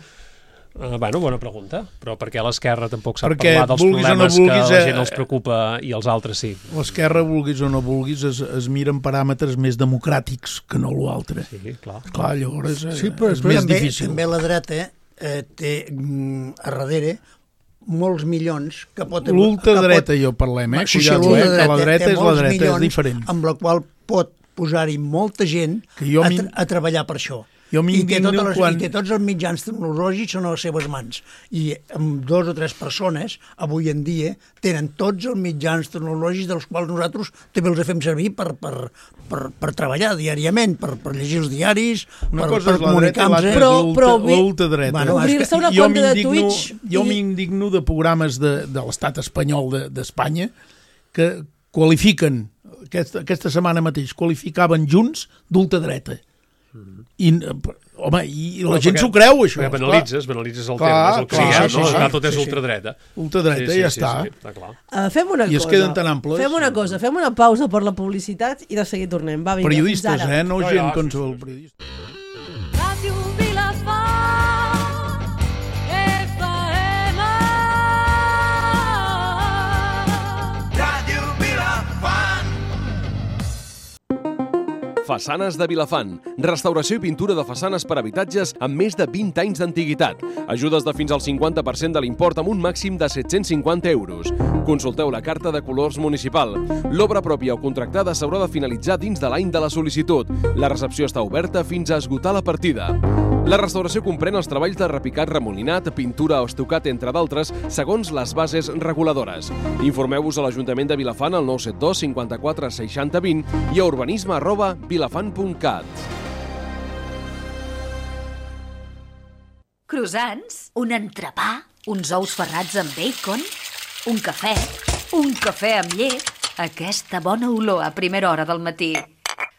Bona pregunta, però per què l'esquerra tampoc sap parlar dels problemes que la gent els preocupa i els altres sí? L'esquerra, vulguis o no vulguis, es miren paràmetres més democràtics que no l'altre. Sí, clar. Llavors és més difícil. També la dreta té a darrere molts milions que pot... L'ultradreta jo parlem, Sí, que la dreta és la dreta, és diferent. Amb la qual pot posar-hi molta gent a treballar per això. I té tots els mitjans tecnològics en les seves mans. I amb 2 o 3 persones, avui en dia, tenen tots els mitjans tecnològics dels quals nosaltres també els fem servir per treballar diàriament, per llegir els diaris, per comunicar-nos. Però l'ultradreta. Obrir-se una compte de Twitch... Jo m'indigno de programes de l'estat espanyol d'Espanya que qualifiquen, aquesta setmana mateix, qualificaven Junts d'ultradreta. I la gent s'ho creu, això. Perquè banalitzes el tema, és el que sigui, tot és ultradreta. Ultradreta, ja està. Fem una cosa. I es queden tan amples. Fem una pausa per la publicitat i de seguir tornem. Va, vinga, periodistes, no gent qualsevol periodista. Ràdio Vilafant. Façanes de Vilafant. Restauració i pintura de façanes per habitatges amb més de 20 anys d'antiguitat. Ajudes de fins al 50% de l'import amb un màxim de 750 euros. Consulteu la carta de colors municipal. L'obra pròpia o contractada s'haurà de finalitzar dins de l'any de la sol·licitud. La recepció està oberta fins a esgotar la partida. La restauració comprèn els treballs de repicat remolinat, pintura o estucat, entre d'altres, segons les bases reguladores. Informeu-vos a l'Ajuntament de Vilafant al 972 54 60 20 i a urbanisme@vilafant.cat. Croissants, un entrepà, uns ous ferrats amb bacon, un cafè amb llet, aquesta bona olor a primera hora del matí.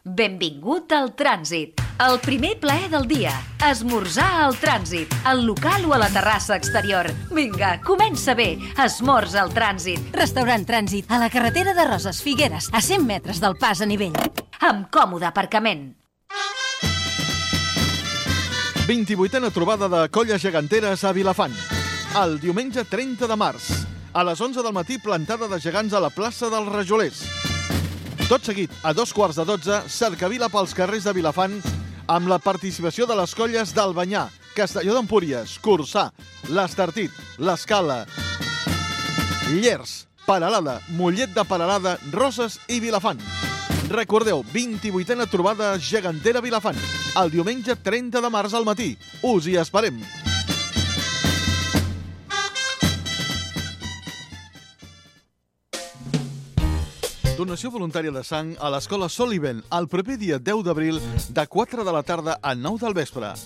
Benvingut al Trànsit, el primer plaer del dia. Esmorzar al Trànsit, al local o a la terrassa exterior. Vinga, comença bé, esmorza al Trànsit. Restaurant Trànsit, a la carretera de Roses Figueres, a 100 metres del pas a nivell. Amb còmode aparcament. 28a trobada de colles geganteres a Vilafant. El diumenge 30 de març, a les 11 del matí, plantada de gegants a la plaça dels Rajolers. Tot seguit, a 11:15, cercavila pels carrers de Vilafant amb la participació de les colles d'Albanyà, Castelló d'Empúries, Corçà, l'Estartit, l'Escala, Llers, Peralada, Mollet de Peralada, Roses i Vilafant. Recordeu, 28a trobada gegantera Vilafant, el diumenge 30 de març al matí. Us hi esperem. Donació voluntària de sang a l'Escola Soliven el proper dia 10 d'abril de 4 de la tarda a 9 del vespre.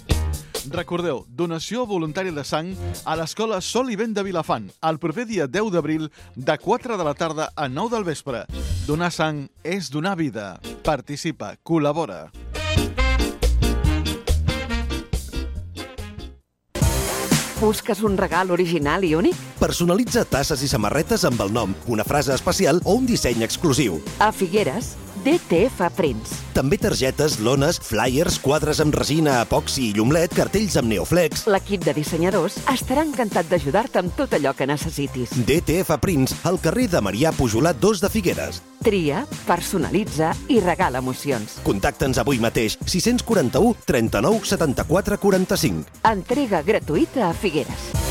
Recordeu, donació voluntària de sang a l'Escola Soliven de Vilafant el proper dia 10 d'abril de 4 de la tarda a 9 del vespre. Donar sang és donar vida. Participa, col·labora. Busques un regal original i únic? Personalitza tasses i samarretes amb el nom, una frase especial o un disseny exclusiu. A Figueres, DTF Prints. També targetes, lones, flyers, quadres amb resina, epoxi i llumlet, cartells amb neoflex. L'equip de dissenyadors estarà encantat d'ajudar-te amb tot allò que necessitis. DTF Prints, al carrer de Marià Pujolat 2 de Figueres. Tria, personalitza i regala emocions. Contacta'ns avui mateix, 641 39 74 45. Entrega gratuïta a Figueres.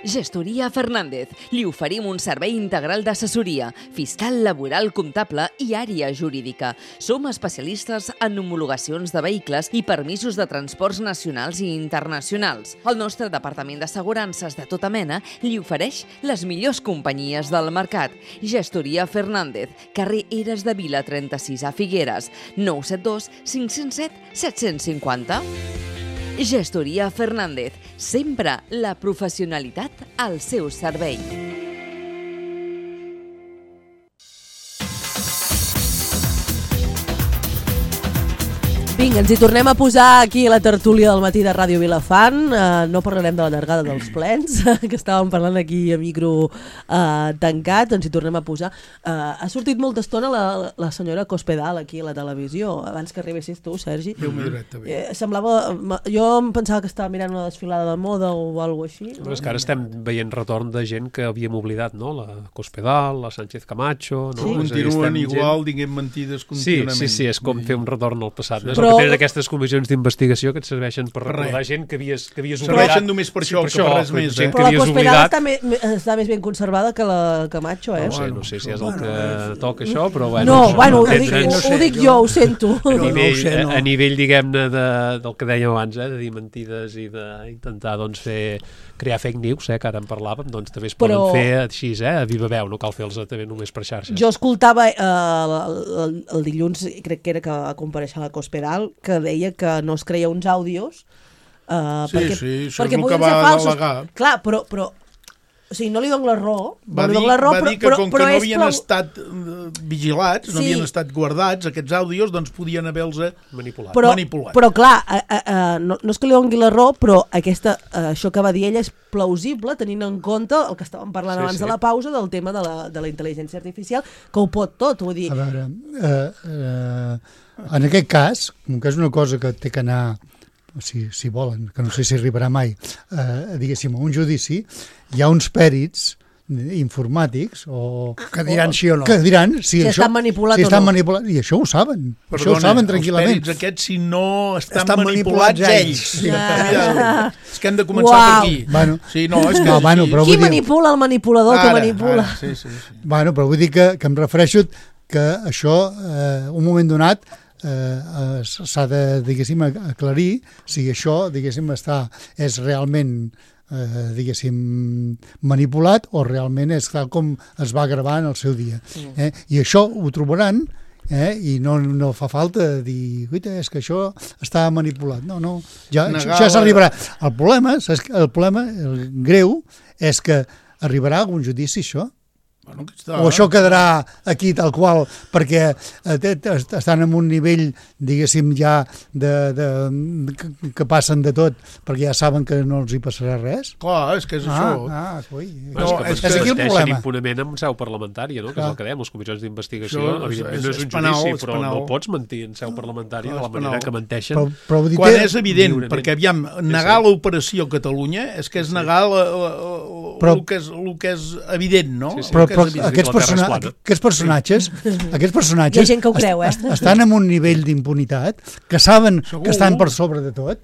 Gestoria Fernández. Li oferim un servei integral d'assessoria, fiscal, laboral, comptable i àrea jurídica. Som especialistes en homologacions de vehicles i permisos de transports nacionals i internacionals. El nostre departament d'assegurances de tota mena li ofereix les millors companyies del mercat. Gestoria Fernández, carrer Eres de Vila 36 a Figueres, 972 507 750. Gestoria Fernández, sempre la professionalitat al seu servei. Vinga, ens hi tornem a posar aquí a la tertúlia del matí de Ràdio Vilafant. No parlarem de la llargada dels plens, que estàvem parlant aquí a micro tancat, ens hi tornem a posar. Ha sortit molta estona la senyora Cospedal aquí a la televisió, abans que arribessis tu, Sergi. Jo em pensava que estava mirant una desfilada de moda o alguna cosa així. Però és que ara estem veient retorn de gent que havíem oblidat, no? La Cospedal, la Sánchez Camacho... Continuen igual, diguem mentides contínuament. Sí, és com fer un retorn al passat. Però tenen aquestes comissions d'investigació que et serveixen per recordar gent que havies oblidat. Serveixen només per això, que per res més. Gent que però la havies Cospedal oblidat. està més ben conservada que la Camacho, eh? No sé si és el que toca això, però bueno... No, bueno, ho dic jo, ho sento. A nivell, diguem-ne, del que dèiem abans, de dir mentides i d'intentar crear fake news, que ara en parlàvem, doncs també es poden fer així, a viva veu, no cal fer-los també només per xarxes. Jo escoltava el dilluns, crec que era que va compareixer la Cospedal, que deia que no es creia uns àudios això és el que va delegar. Clar, però o sigui, no li dono la raó. Va dir que com que no havien estat vigilats, no havien estat guardats, aquests àudios, doncs podien haver-los manipulat. Però clar, no és que li doni la raó, però això que va dir ella és plausible, tenint en compte el que estàvem parlant abans de la pausa, del tema de la intel·ligència artificial, que ho pot tot, vull dir... A veure, en aquest cas, com que és una cosa que té que anar... si volen, que no sé si arribarà mai, diguéssim, a un judici, hi ha uns pèrits informàtics que diran sí o no. Que diran si estan manipulats o no. I això ho saben. Això ho saben tranquil·lament. Els pèrits aquests, si no estan manipulats ells. És que hem de començar per aquí. Qui manipula el manipulador que manipula? Bueno, però vull dir que em refereixo que això, un moment donat, s'ha de, diguéssim, aclarir si això, diguéssim, és realment manipulat o realment és tal com es va gravar en el seu dia. I això ho trobaran i no fa falta dir és que això està manipulat. No, ja s'arribarà. El problema, el greu, és que arribarà a algun judici això. O això quedarà aquí tal qual perquè estan en un nivell, diguéssim, ja que passen de tot perquè ja saben que no els hi passarà res? Clar, és que és això. És aquí el problema. Impunement en seu parlamentària, que és el que dèiem, les comissions d'investigació, evidentment no és un judici, però no pots mentir en seu parlamentària de la manera que menteixen. Quan és evident, perquè aviam, negar l'operació Catalunya és que és negar el que és evident, no? Però aquests personatges hi ha gent que ho creu, estan en un nivell d'impunitat que saben que estan per sobre de tot.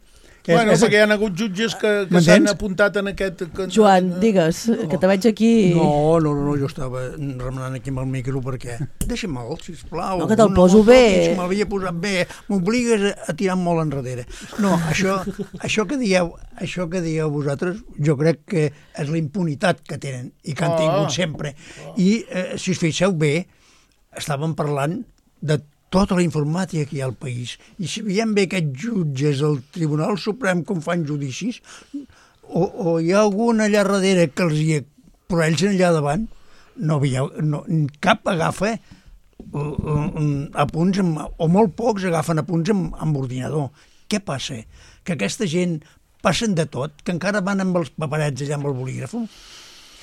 Perquè hi ha hagut jutges que s'han apuntat en aquest... Joan, digues, que te veig aquí... No, jo estava remenant aquí amb el micro perquè... Deixa'm-me'l, sisplau. No, que te'l poso bé. M'havia posat bé. M'obligues a tirar molt enrere. No, això que dieu vosaltres, jo crec que és la impunitat que tenen i que han tingut sempre. I, si us fixeu bé, estàvem parlant de tota la informàtica que hi ha al país. I si veiem bé aquests jutges del Tribunal Suprem com fan judicis, o hi ha algun allà darrere que els hi... Però ells allà davant, cap agafa apunts, o molt pocs agafen apunts amb ordinador. Què passa? Que aquesta gent passen de tot, que encara van amb els paperets allà amb el bolígraf?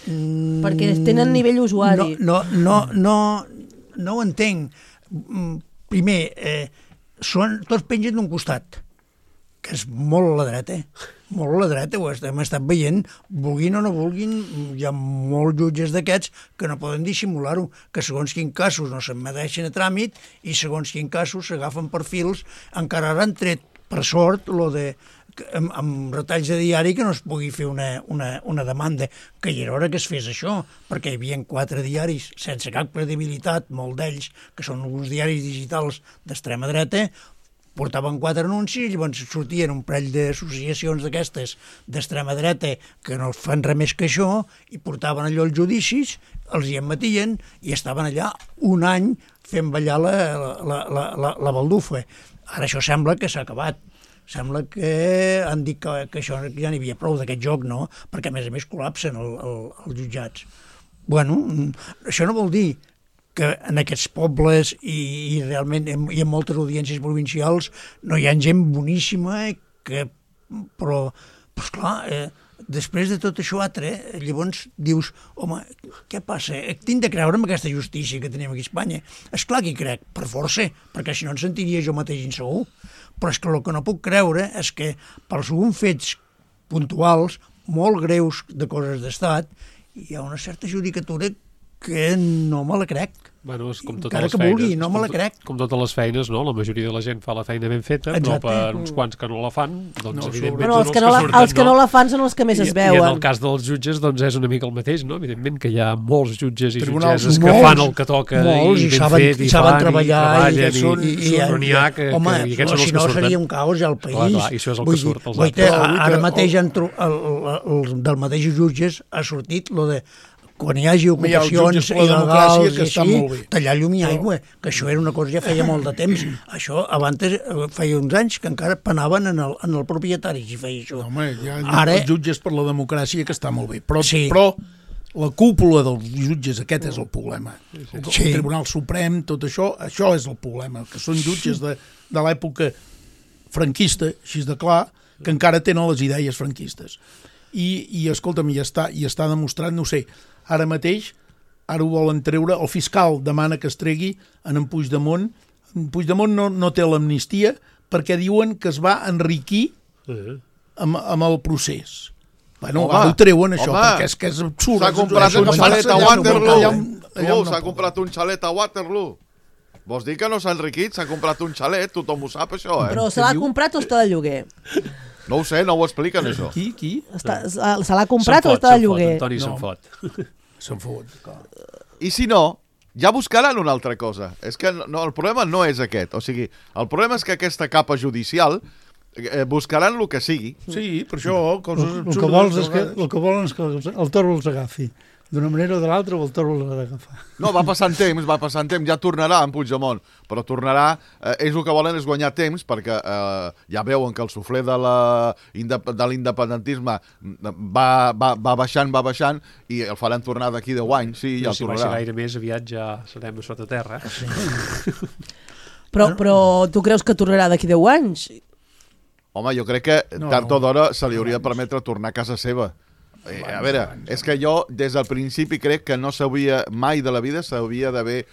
Perquè tenen nivell usuari. No ho entenc. Primer, tots pengen d'un costat, que és molt a la dreta, ho hem estat veient, vulguin o no vulguin, hi ha molts jutges d'aquests que no poden dissimular-ho, que segons quin casos no se'n medeixen a tràmit i segons quin casos s'agafen per fils, encara ara han tret, per sort, amb retalls de diari que no es pugui fer una demanda, que hi era hora que es fes això, perquè hi havia 4 diaris sense cap credibilitat, molt d'ells, que són alguns diaris digitals d'extrema dreta, portaven 4 anuncis, llavors sortien un parell d'associacions d'aquestes d'extrema dreta que no fan res més que això, i portaven allò als judicis, els hi emetien, i estaven allà un any fent ballar la baldufa. Ara això sembla que s'ha acabat. Sembla que han dit que això ja n'hi havia prou d'aquest joc, no? Perquè a més col·lapsen els jutjats. Bueno, això no vol dir que en aquests pobles i realment hi ha moltes audiències provincials no hi ha gent boníssima, però esclar, després de tot això altre, llavors dius, home, què passa? Tinc de creure en aquesta justícia que tenim aquí a Espanya. Esclar que hi crec, per força, perquè si no em sentiria jo mateix insegur. Però és que el que no puc creure és que per alguns fets puntuals, molt greus de coses d'estat, hi ha una certa judicatura que no me la crec. Bueno, és com totes encara les que feines, vulgui, no me la crec. Com totes les feines, no? La majoria de la gent fa la feina ben feta, però per uns quants que no la fan, doncs evidentment Però els que no la fan són els que més es veuen. I en el cas dels jutges, doncs és una mica el mateix, no? Evidentment que hi ha molts jutges i jutgesses que fan el que toca i ben fet, i saben treballar, i n'hi ha que aquests són els que surten. Si no seria un caos al país. I això és el que surt als altres. Ara mateix del mateix jutges ha sortit lo de quan hi hagi ocupacions il·legals i així, tallar llum i aigua, que això era una cosa ja feia molt de temps. Això abans feia uns anys que encara penaven en el propietari si feia això. Home, hi ha els jutges per la democràcia que està molt bé, però la cúpula dels jutges, aquest és el problema. El Tribunal Suprem, tot això és el problema, que són jutges de l'època franquista, així de clar, que encara tenen les idees franquistes. I escolta'm, i està demostrat, no sé, ara mateix, ara ho volen treure, el fiscal demana que es tregui en Puigdemont. Puigdemont no té l'amnistia perquè diuen que es va enriquir amb el procés. Bueno, ho treuen això, perquè és que és absurd. S'ha comprat un xalet a Waterloo. S'ha comprat un xalet a Waterloo. Vols dir que no s'ha enriquit? S'ha comprat un xalet, tothom ho sap, això, Però se l'ha comprat o està de lloguer? No ho sé, no ho expliquen, això. Qui? Se l'ha comprat o està de lloguer? Antoni se'n fot. Se'n fot. I si no, ja buscaran una altra cosa. És que el problema no és aquest. O sigui, el problema és que aquesta capa judicial buscaran el que sigui. Sí, per això... El que volen és que el toro els agafi. D'una manera o de l'altra, el toro l'ha d'agafar. No, va passant temps, ja tornarà en Puigdemont, però tornarà, ells el que volen és guanyar temps, perquè ja veuen que el suflé de l'independentisme va baixant, i el faran tornar d'aquí 10 anys, sí, ja el tornarà. Si baixa gaire més, aviat ja serem a sota terra. Però tu creus que tornarà d'aquí 10 anys? Home, jo crec que tard o d'hora se li hauria de permetre tornar a casa seva. A veure, és que jo des del principi crec que no s'hauria, mai de la vida s'hauria d'haver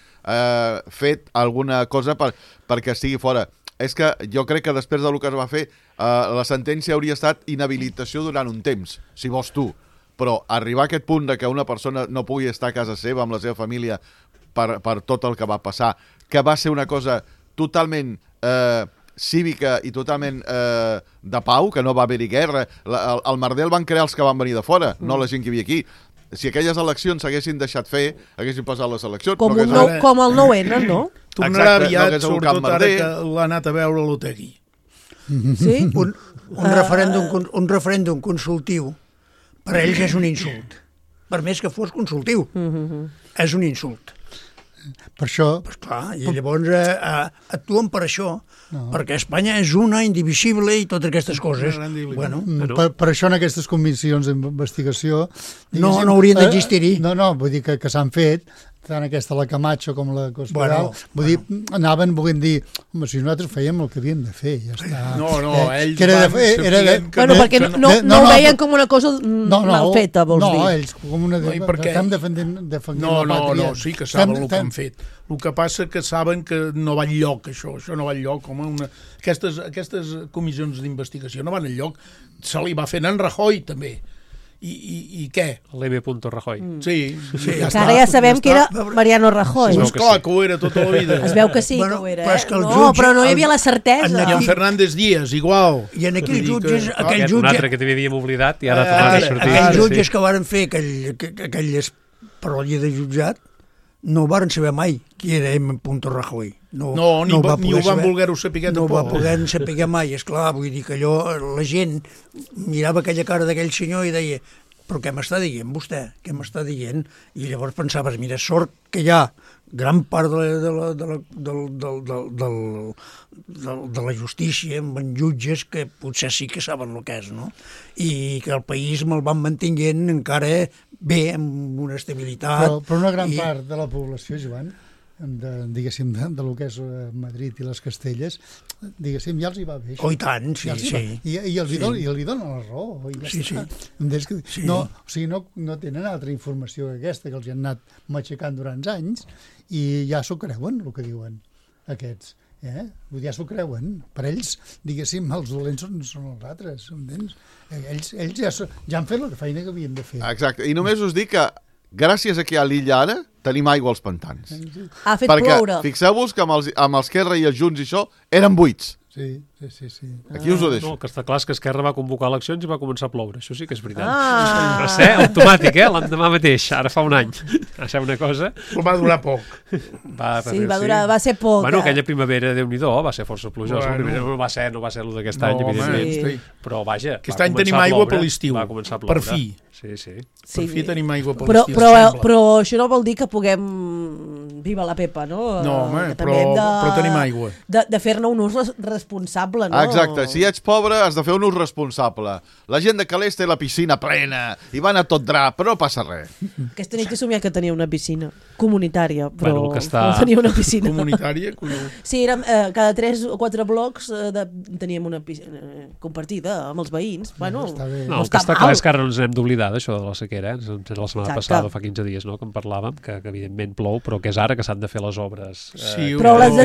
fet alguna cosa perquè estigui fora. És que jo crec que després del que es va fer, la sentència hauria estat inhabilitació durant un temps, si vols tu. Però arribar a aquest punt de que una persona no pugui estar a casa seva amb la seva família per tot el que va passar, que va ser una cosa totalment cívica i totalment de pau, que no va haver-hi guerra. El merder el van crear els que van venir de fora, no la gent que hi havia aquí. Si aquelles eleccions s'haguessin deixat fer, haguessin passat les eleccions. Com el 9-N, no? Tornarà aviat, sobretot ara que l'ha anat a veure l'Otegi. Sí? Un referèndum consultiu per a ells és un insult. Per més que fos consultiu. És un insult. Per això... Pues clar, i llavors actuen per això, perquè Espanya és una, indivisible i totes aquestes coses. Bueno, per això en aquestes comissions d'investigació... No haurien d'existir-hi. No, vull dir que s'han fet, tant aquesta la Camacho com la Cospedal, vull dir, anaven volent dir, home, si nosaltres fèiem el que havíem de fer, ja està. No, ells Bueno, perquè no ho veien com una cosa mal feta, vols dir. No, ells com una... Estem defendint la pàtria. No, sí que saben el que han fet. El que passa que saben que no va enlloc, això no va enlloc. Aquestes comissions d'investigació no van enlloc. Se li va fent en Rajoy, també. I què? L'M. Rajoy. Sí, ja està. Ara ja sabem que era Mariano Rajoy. És clar que ho era tota la vida. Es veu que sí que ho era, però no hi havia la certesa. I en Fernández Díaz, igual. I en aquells jutges... Un altre que també havíem oblidat i ara tornat a sortir. Aquells jutges que varen fer aquelles paròdies de jutjat no varen saber mai qui era M. Rajoy. Ni ho van voler-ho saber tampoc. No va poder saber mai, esclar, vull dir que allò, la gent mirava aquella cara d'aquell senyor i deia, però què m'està dient vostè? Què m'està dient? I llavors pensaves, mira, sort que hi ha gran part de la justícia amb jutges que potser sí que saben el que és, no? I que el país me'l van mantinguent encara bé, amb una estabilitat. Però una gran part de la població, Joan, diguéssim, de lo que és Madrid i les Castelles, diguéssim, ja els hi va bé. Oh, i tant, sí. I els hi donen la raó. Sí. No tenen altra informació que aquesta, que els hi han anat matxacant durant anys, i ja s'ho creuen, el que diuen aquests. Ja s'ho creuen. Per ells, diguéssim, els dolents són els altres. Ells ja han fet la feina que havien de fer. Exacte. I només us dic que gràcies a que hi ha l'illa ara, tenim aigua als pantans. Ha fet ploure. Perquè fixeu-vos que amb els Esquerra i els Junts i això eren buits. Sí. Aquí us ho deixo. No, el que està clar és que Esquerra va convocar eleccions i va començar a ploure. Això sí que és veritat. Va ser automàtic, l'endemà mateix, ara fa un any. Va ser una cosa... Però va durar poc. Va ser poc. Bueno, aquella primavera, Déu-n'hi-do, va ser força plujosa. No va ser el d'aquest any, evidentment. Però vaja, aquest any tenim aigua per l'estiu. Va començar a ploure. Per fi. Sí. Per fi tenim aigua per l'estiu. Però això no vol dir que puguem... Viva la Pepa, no? No, home, però tenim aigua. De fer-ne un ús responsable, no? Exacte, si ets pobre has de fer un ús responsable. La gent de Calés té la piscina plena i van a tot drap, però no passa res. Aquesta nit he somiat que tenia una piscina comunitària, però no tenia una piscina. Comunitària? Sí, érem, cada 3 o 4 blocs teníem una piscina compartida amb els veïns. Bueno, no, el que està clar és que ara no ens hem d'oblidar d'això de la sequera. La setmana passada, fa 15 dies, que en parlàvem, que evidentment plou, però que és ara que s'han de fer les obres. Però les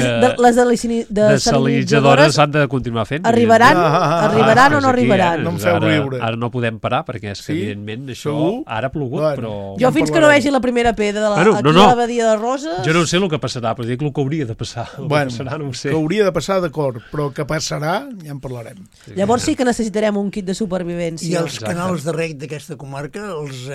desalinitzadores s'han de continuar fent. Arribaran o no arribaran? No em feu riure. Ara no podem parar, perquè és que evidentment això ara ha plogut, però... Jo fins que no vegi la primera pedra aquí a la badia de Roses... Jo no sé el que passarà, però dic el que hauria de passar. Que hauria de passar, d'acord, però que passarà, ja en parlarem. Llavors sí que necessitarem un kit de supervivència. I els canals de reg d'aquesta comarca els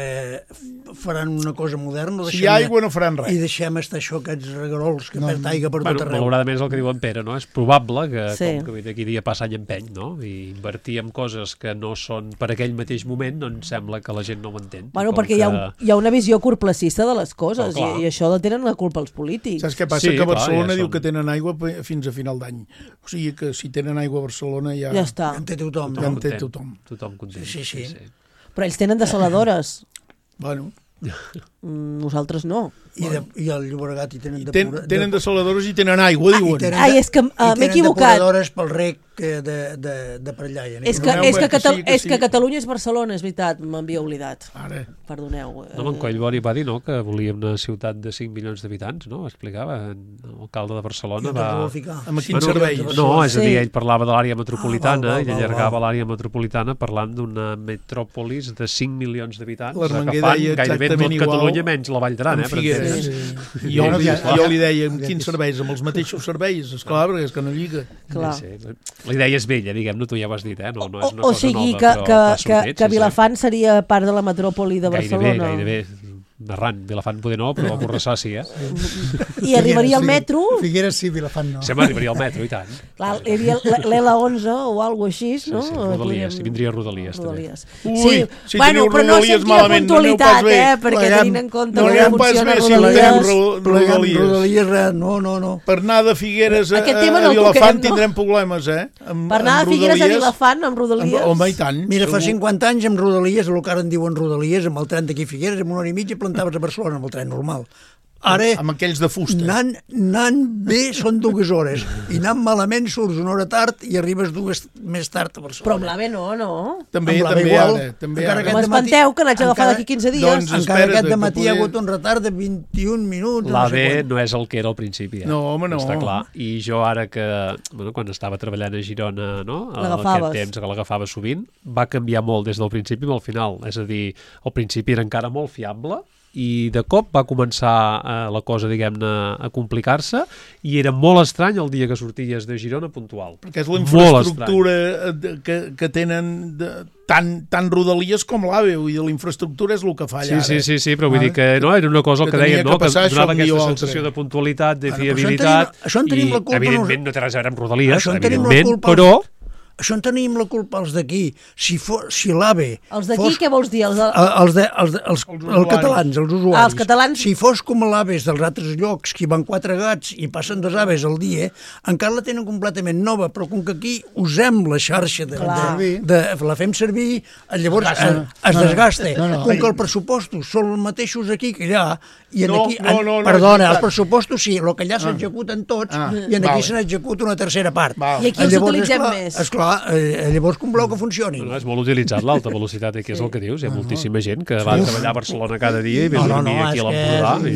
faran una cosa moderna? Si hi ha aigua no faran res. I deixem estar això, aquests regarols que perd aigua per tot arreu. Malauradament és el que diu en Pere, no? És probable que, com que d'aquí dia passa any empeny, no? I invertir en coses que no són per aquell mateix moment, doncs sembla que la gent no ho entén. Bueno, perquè hi ha una visió curtplacista de les coses, i això tenen la culpa els polítics. Saps què passa? Que Barcelona diu que tenen aigua fins a final d'any. O sigui que si tenen aigua a Barcelona ja està. En té tothom. Ja en té tothom. Tothom content. Sí. Però ells tenen desaladores. Bueno... Nosaltres no. I al Llobregat hi tenen tenen desaladores i tenen aigua, diuen. És que m'he equivocat. I tenen depuradores pel rec de per allà. És que Catalunya és Barcelona, és veritat, m'havia oblidat. Perdoneu. No, en Collboni va dir que volia una ciutat de 5 milions d'habitants, no? Explicava, l'alcalde de Barcelona va... Amb quins serveis? No, és a dir, ell parlava de l'àrea metropolitana i allargava l'àrea metropolitana parlant d'una metròpolis de 5 milions d'habitants, que fan gairebé tot Catalunya menys la Vall d'Aran, Jo li deia, amb quins serveis? Amb els mateixos serveis, esclar, perquè és que no lliga. La idea és vella, diguem-ne, tu ja ho has dit, no és una cosa nova. O sigui que Vilafant seria part de la metròpoli de Barcelona. Gairebé. Arran, Vilafant poder no, però Borrassà sí, I arribaria al metro... Figueres sí, Vilafant no. Sempre arribaria al metro, i tant. Hi havia l'L11 o alguna cosa així, no? Rodalies, i vindria Rodalies, també. Ui, si teniu Rodalies malament, no aneu pas bé. Perquè tenint en compte com funciona Rodalies. Rodalies, no. Per anar de Figueres a Vilafant tindrem problemes, Per anar de Figueres a Vilafant amb Rodalies. Home, i tant. Mira, fa 50 anys amb Rodalies, el que ara en diuen Rodalies, amb el tren d'aquí Figueres, amb una hora i mitja plantaves a Barcelona amb el tren normal. Ara, amb aquells de fusta. Anant bé són 2 hores i anant malament surts una hora tard i arribes 2 més tard a Barcelona. Però amb l'AVE no. També ara. M'espanteu que n'haig d'agafar d'aquí 15 dies. Encara aquest dematí hi ha hagut un retard de 21 minuts. L'AVE no és el que era al principi. No, home, no. Està clar. I jo ara que, quan estava treballant a Girona, aquest temps que l'agafava sovint, va canviar molt des del principi al final. És a dir, al principi era encara molt fiable, i de cop va començar la cosa, diguem-ne, a complicar-se i era molt estrany el dia que sorties de Girona puntual. Perquè és la infraestructura que tenen tant Rodalies com l'AVE, la infraestructura és el que falla ara. Sí, però vull dir que no, era una cosa que deia que donava aquesta sensació de puntualitat, de fiabilitat, i evidentment no té res a veure amb Rodalies, evidentment, però... Això en tenim la culpa els d'aquí. Si l'AVE... Els d'aquí què vols dir? Els catalans, els usuaris. Els catalans... Si fos com l'AVE dels altres llocs, que hi van 4 gats i passen 2 aves al dia, encara la tenen completament nova, però com que aquí usem la xarxa, la fem servir, llavors es desgasta. Com que els pressupostos són els mateixos aquí que allà, i aquí... Perdona, els pressupostos sí, el que allà s'executen tots, i aquí se n'executa una tercera part. I aquí els utilitzem més. Esclar, clar, llavors com voleu que funcioni? És molt utilitzat l'alta velocitat, que és el que dius. Hi ha moltíssima gent que va treballar a Barcelona cada dia i ve a dormir aquí a l'Empordà. I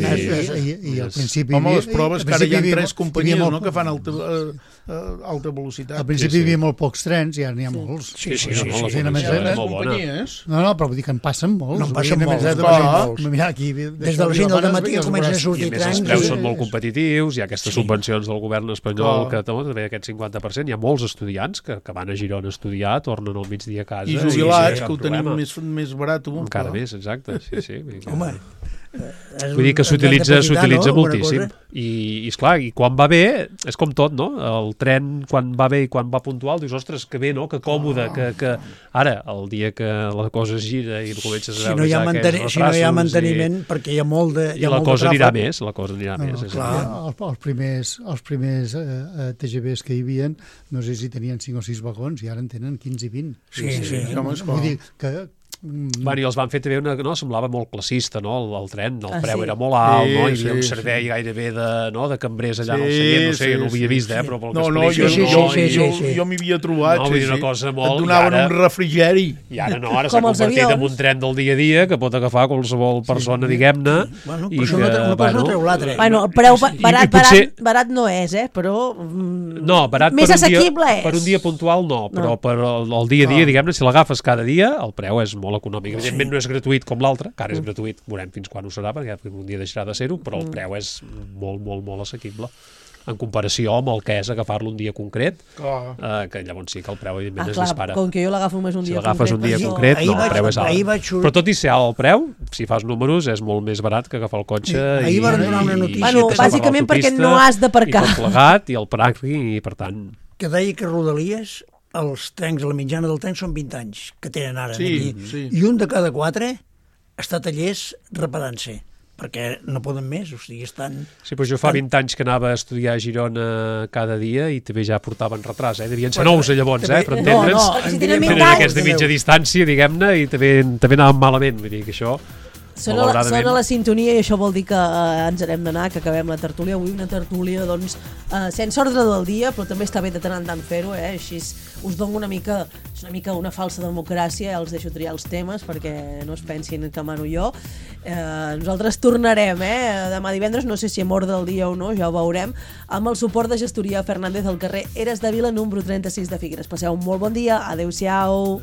al principi... Home, les proves, que ara hi ha 3 companyies que fan alta velocitat. Al principi hi havia molt pocs trens i ara n'hi ha molts. Sí, és molt bona. No, però vull dir que en passen molts. No en passen molts. Des de les 5 del matí comencen a sortir trens. Els preus són molt competitius, hi ha aquestes subvencions del govern espanyol que també aquest 50%, hi ha molts estudiants que van a Girona a estudiar, tornen al migdia a casa. I jubilats, que ho tenim més barat. Encara més, exacte. Home, vull dir que s'utilitza moltíssim. I esclar, i quan va bé, és com tot, no? El tren, quan va bé i quan va puntual, dius, ostres, que bé, no? Que còmode, que ara, el dia que la cosa es gira i comences a veure ja aquests retrasos... Si no hi ha manteniment, perquè hi ha molt de I la cosa anirà més, Els primers TGVs que hi havia, no sé si tenien 5 o 6 vagons i ara en tenen 15 i 20. Sí. Vull dir que... Bueno, i els van fer també semblava molt classista, no? El tren, el preu era molt alt, no? Hi havia un servei gairebé de cambrers allà en el seient, no sé, jo no ho havia vist, però pel que explica... Jo m'hi havia trobat, no, vull dir una cosa molt... Et donaven un refrigeri. I ara no, ara s'ha convertit en un tren del dia a dia que pot agafar qualsevol persona, diguem-ne, i que... Una cosa no treu l'altra. Bueno, el preu barat no és, però... No, barat més assequible és. Per un dia puntual no, però per el dia a dia, diguem-ne, si l'agafes cada dia, el preu és molt econòmic. Evidentment no és gratuït com l'altre, que ara és gratuït, veurem fins quan ho serà, perquè un dia deixarà de ser-ho, però el preu és molt, molt, molt assequible en comparació amb el que és agafar-lo un dia concret, que llavors sí que el preu evidentment es dispara. Com que jo l'agafo només un dia concret. Si l'agafes un dia concret, no, el preu és alt. Però tot i ser alt el preu, si fas números, és molt més barat que agafar el cotxe. Ahir van donar una notícia. Bueno, bàsicament perquè no has d'aparcar. I tot plegat, i el pàrquing, i per tant... Que deia que Rodalies, els trens, la mitjana del tren són 20 anys que tenen ara. Sí. I un de cada 4 està a tallers reparant-se, perquè no poden més, o sigui, estan... Sí, però jo fa 20 anys que anava a estudiar a Girona cada dia i també ja portaven retras, devien ser nous llavors, per entendre'ns. No, si tenen 20 anys... Aquests de mitja distància, diguem-ne, i també anaven malament, vull dir que això... Sona la sintonia i això vol dir que ens n'hem d'anar, que acabem la tertúlia. Avui una tertúlia, doncs, sense ordre del dia, però també està bé de tant en tant fer-ho, així us dono una mica una falsa democràcia, els deixo triar els temes perquè no es pensin que mano jo. Nosaltres tornarem, demà divendres, no sé si amb ordre del dia o no, ja ho veurem, amb el suport de Gestoria Fernández al carrer Eres de Vila, número 36 de Figueres. Passeu un molt bon dia, adeu-siau.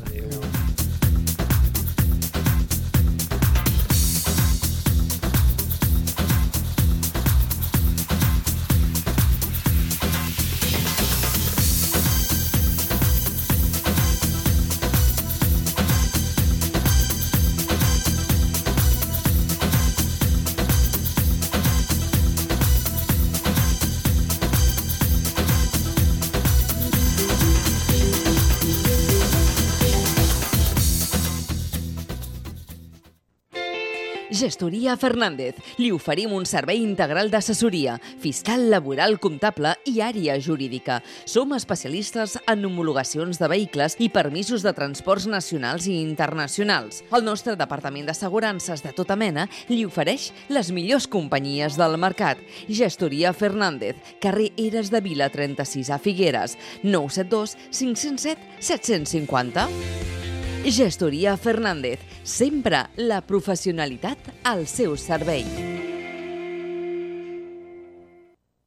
Gestoria Fernández. Li oferim un servei integral d'assessoria, fiscal, laboral, comptable i àrea jurídica. Som especialistes en homologacions de vehicles i permisos de transports nacionals i internacionals. El nostre departament d'assegurances de tota mena li ofereix les millors companyies del mercat. Gestoria Fernández, carrer Eres de Vila 36 a Figueres, 972 507 750. Gestoria Fernández, sempre la professionalitat al seu servei.